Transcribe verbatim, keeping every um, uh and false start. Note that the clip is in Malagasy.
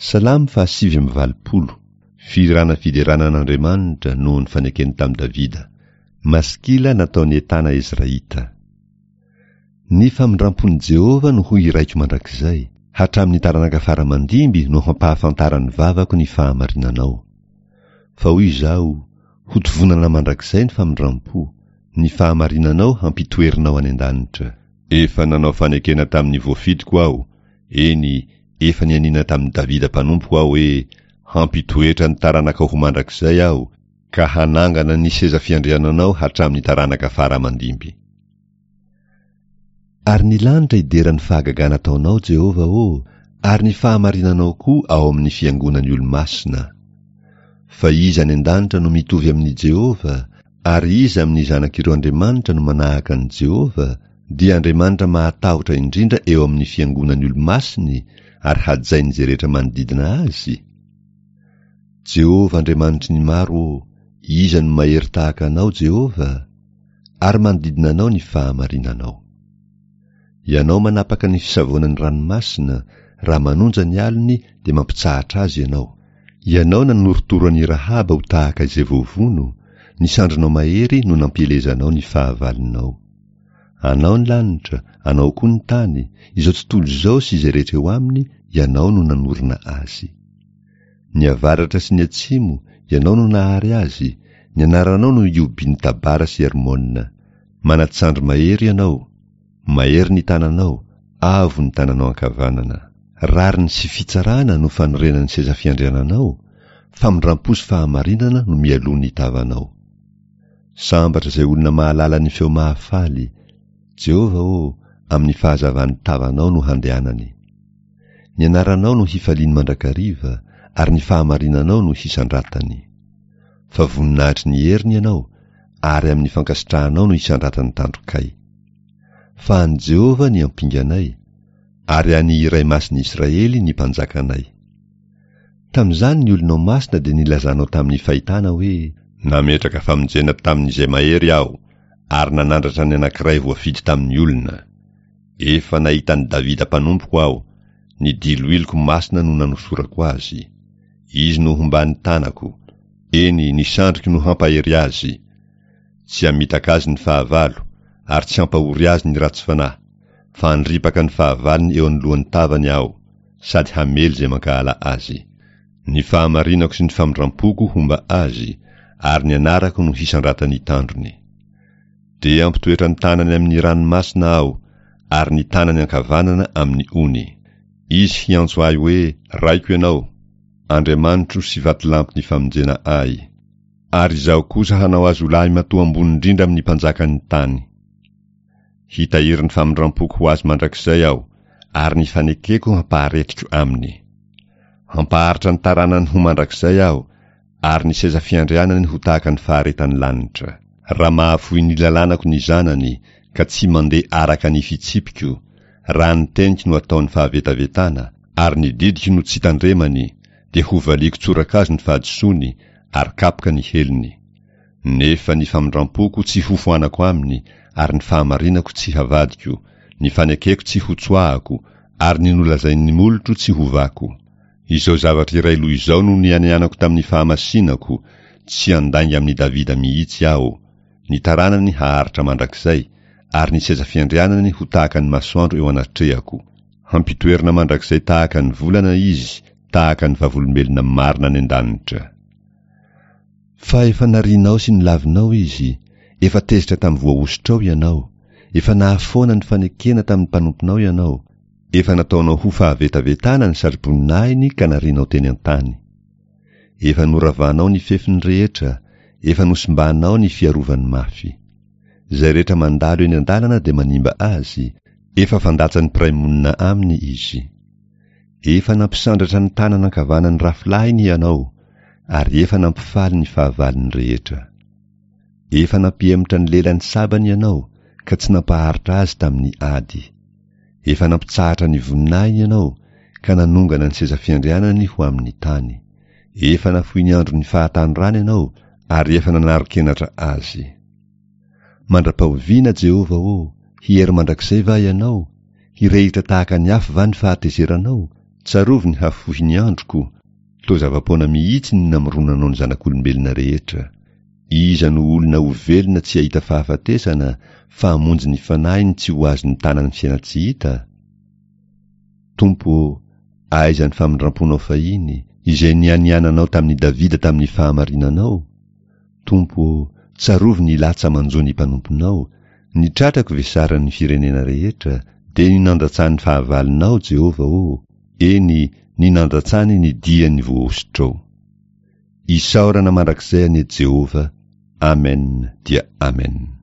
Salamo fahasivy amby valopolo. Fihirana fiderana an'Andriamanitra noho ny fanekeny tamin'i Davida. Maskila nataon'i Etana Ezraita. Ny famindrampon'i Jehovah no ho hiraiko mandrakizay, hatramin'ny taranaka fara mandimby no hampahafantaran'ny vavako ny fahamarinanao. Fa hoy izaho, hotovonana mandrakizay ny famindrampo, ny fahamarinanao hampitoerinao any an-danitra. Efa nanao fanekena tamin'ny voafidiko aho, eny, efa nianiana tamin'i Davida mpanompoko aho hoe, hampitoetra ny taranakao ho mandrakizay aho, ka hanangana ny seza fiandriananao hatramin'ny taranaka fara mandimby. Ary ny lanitra hidera ny fahagagana ataonao, Jehovah ô, ary ny fahamarinanao koa ao amin'ny fiangonan'ny olo-masina. Fa iza any an-danitra no mitovy amin'i Jehovah, ary iza amin'ny zanak'ireo Andriamanitra no manahaka an'i Jehovah, dia Andriamanitra mahatahotra indrindra eo amin'ny fiangonan'ny olo-masiny ary hajain'izay rehetra manodidina azy? Jehovah Andriamanitry ny maro ô, iza no mahery tahaka anao, Jehovah? Ary manodidina anao ny fahamarinanao. Ianao manapaka ny fisavoanan'ny ranomasina, raha manonja ny alony dia mampitsahatra azy ianao. Ianao nanorotoro an'i Rahaba ho tahaka izay voavono, ny sandrinao mahery no nampielezanao ny fahavalonao. Anao ny lanitra, anao koa ny tany, izao tontolo izao sy izay rehetra eo aminy, ianao no nanorina azy. Ny avaratra sy ny atsimo, ianao no nahary azy, ny anaranao no iobin'ny Tabara sy Hermona. Manatsandry mahery ianao, mahery ny tananao, avo ny tananao ankavanana. Rariny sy fitsarana no fanorenan'ny seza fiandriananao, famindrampo sy fahamarinana no mialoha ny tavanao. Sambatra izay olona mahalala ny feo mahafaly, Jehovah ô, amin'ny fahazavan'ny tavanao no handehanany. Ny anaranao no hifaliany mandrakariva, ary ny fahamarinanao no hisandratany. Fa voninahitry ny heriny ianao, ary amin'ny fankasitrahanao no hisandratan'ny tandrokay. Fa an'i Jehovah ny ampinganay, ary an'ny Iray Masin'ny Israely ny mpanjakanay. Tamin'izany ny olonao masina dia nilazanao tamin'ny fahitana hoe, nametraka famonjena tamin'izay mahery aho, ary nanandratra ny anankiray voafidy tamin'ny olona. Efa nahita an'i Davida mpanompoko aho, ny diloiloko masina no nanosorako azy. Izy no homban'ny tanako, eny, ny sandriko no hampahery azy. Tsy hamitaka azy ny fahavalo, ary tsy hampahory azy ny ratsy fanahy, fa handripaka ny fahavalony eo anoloan'ny tavany aho, sady hamely izay mankahala azy. Ny fahamarinako sy ny famindrampoko homba azy, ary ny anarako no hisandratan'ny tandrony. Dia hampitoetra ny tanany amin'ny ranomasina aho, ary ny tanany ankavanana amin'ny ony. Izy hiantso ahy hoe, Raiko ianao, Andriamanitro sy vatolampy ny famonjena ahy. Ary izaho kosa hanao azy ho lahy matoa ambony indrindra amin'ny mpanjakan'ny tany. Hitahiry ny famindrampoko ho azy mandrakizay aho, ary ny fanekeko hampaharetiko aminy. Hampaharitra ny taranany ho mandrakizay aho, ary ny seza fiandrianany ho tahaka ny faharetan'ny lanitra. Raha mahafoy ny lalànako ny zanany, ka tsy mandeha araka ny fitsipiko, raha ny teniko no ataony fahavetavetana, ary ny didiko no tsy tandremany, dia hovaliako tsorakazo ny fahadisoany, ary kapoka ny helony. Nefa ny famindrampoko tsy hofoanako aminy, ary ny fahamarinako tsy havadiko, ny fanekeko tsy hotsoahako, ary ny nolazain'ny molotro tsy hovako. Izao zavatra iray loha izao no nianianako tamin'ny fahamasinako, tsy handainga amin'i Davida mihitsy aho. Ny taranany haharitra mandrakizay, ary ny seza fiandrianany ho tahaka ny masoandro eo anatrehako. Hampitoerina mandrakizay tahaka ny volana izy, tahaka ny vavolombelona marina any an-danitra. Fa efa narianao sy nolavinao izy, efa tezitra tamin'ny voahosotrao ianao, efa nahafoana ny fanekena tamin'ny mpanomponao ianao, efa nataonao ho fahavetavetana ny satroboninahiny ka narianao teny an-tany. Efa noravanao ny fefiny rehetra, efa nosimbanao ny fiarovany mafy. Izay rehetra mandalo eny an-dalana dia manimba azy, efa fandatsan'ny mpiray monina aminy izy. Efa nampisandratra ny tanana ankavanan'ny rafilahiny ianao, ary efa nampifaly ny fahavalony rehetra. Efa nampihemotra ny lelan'ny sabany ianao, ka tsy nampaharitra azy tamin'ny ady. Efa nampitsahatra ny voninahiny ianao, ka nanongana ny seza fiandrianany ho amin'ny tany. Efa nafoy ny andron'ny fahatanorany ianao, ary efa nanaro-kenatra azy. Mandra-pahoviana, Jehovah ô, hiery mandrakizay va ianao? Hirehitra tahaka ny afo va ny fahatezeranao? Tsarovy ny hafohin'ny androko, toa zava-poana mihitsy ny namoronanao ny zanak'olombelona rehetra. Iza no olona ho velona tsy hahita fahafatesana, fa hamonjy ny fanahiny tsy ho azon'ny tanan'ny fiainan-tsy hita? Tompo ô, aiza ny famindram-ponao fahiny, izay nianiananao tamin'i Davida tamin'ny fahamarinanao? Tompo ô, tsarovy ny latsa manjo ny mpanomponao, ny tratrako vesaran'ny firenena rehetra, dia ny nandatsan'ny fahavalonao, Jehovah ô, eny, ny nandatsany ny dian'ny voahosotrao. Isaorana mandrakizay anie Jehovah. Amen dia Amen.